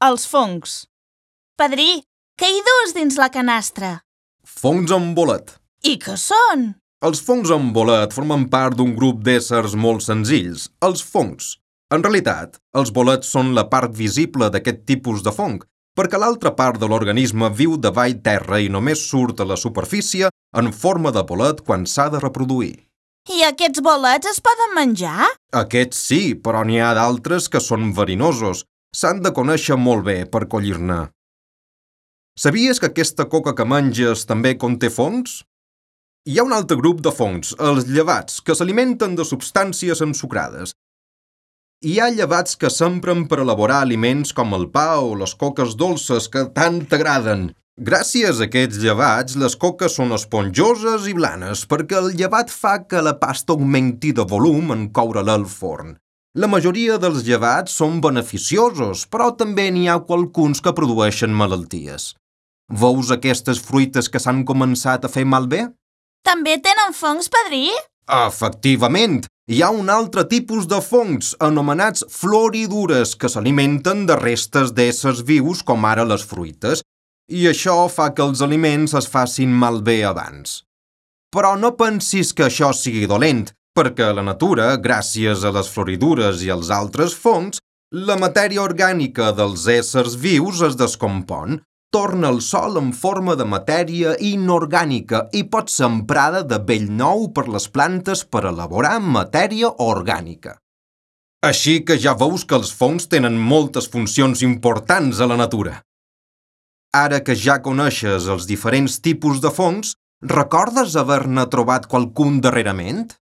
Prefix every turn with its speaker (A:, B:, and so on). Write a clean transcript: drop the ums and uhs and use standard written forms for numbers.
A: Els fongs.
B: Padrí, què hi dus dins la canastra?
C: Fongs amb bolet.
B: I què són?
C: Els fongs amb bolet formen part d'un grup d'éssers molt senzills, els fongs. En realitat, els bolets són la part visible d'aquest tipus de fong, perquè l'altra part de l'organisme viu davall terra i només surt a la superfície en forma de bolet quan s'ha de reproduir.
B: I aquests bolets es poden menjar?
C: Aquests sí, però n'hi ha d'altres que són verinosos. S'han de conèixer molt bé per collir-ne. Sabies que aquesta coca que menges també conté fongs? Hi ha un altre grup de fongs, els llevats, que s'alimenten de substàncies ensucrades. Hi ha llevats que s'empren per elaborar aliments com el pa o les coques dolces que tant t'agraden. Gràcies a aquests llevats, les coques són esponjoses i blanes perquè el llevat fa que la pasta augmenti de volum en coure-la al forn. La majoria dels llevats són beneficiosos, però també n'hi ha qualcuns que produeixen malalties. Veus aquestes fruites que s'han començat a fer malbé?
B: També tenen fongs, padrí?
C: Efectivament, hi ha un altre tipus de fongs, anomenats floridures, que s'alimenten de restes d'éssers vius com ara les fruites, i això fa que els aliments es facin malbé abans. Però no pensis que això sigui dolent, perquè a la natura, gràcies a les floridures i als altres fongs, la matèria orgànica dels éssers vius es descompon, torna al sòl en forma de matèria inorgànica i pot ser emprada de bell nou per les plantes per elaborar matèria orgànica. Així que ja veus que els fongs tenen moltes funcions importants a la natura. Ara que ja coneixes els diferents tipus de fongs, recordes haver-ne trobat qualcun darrerament?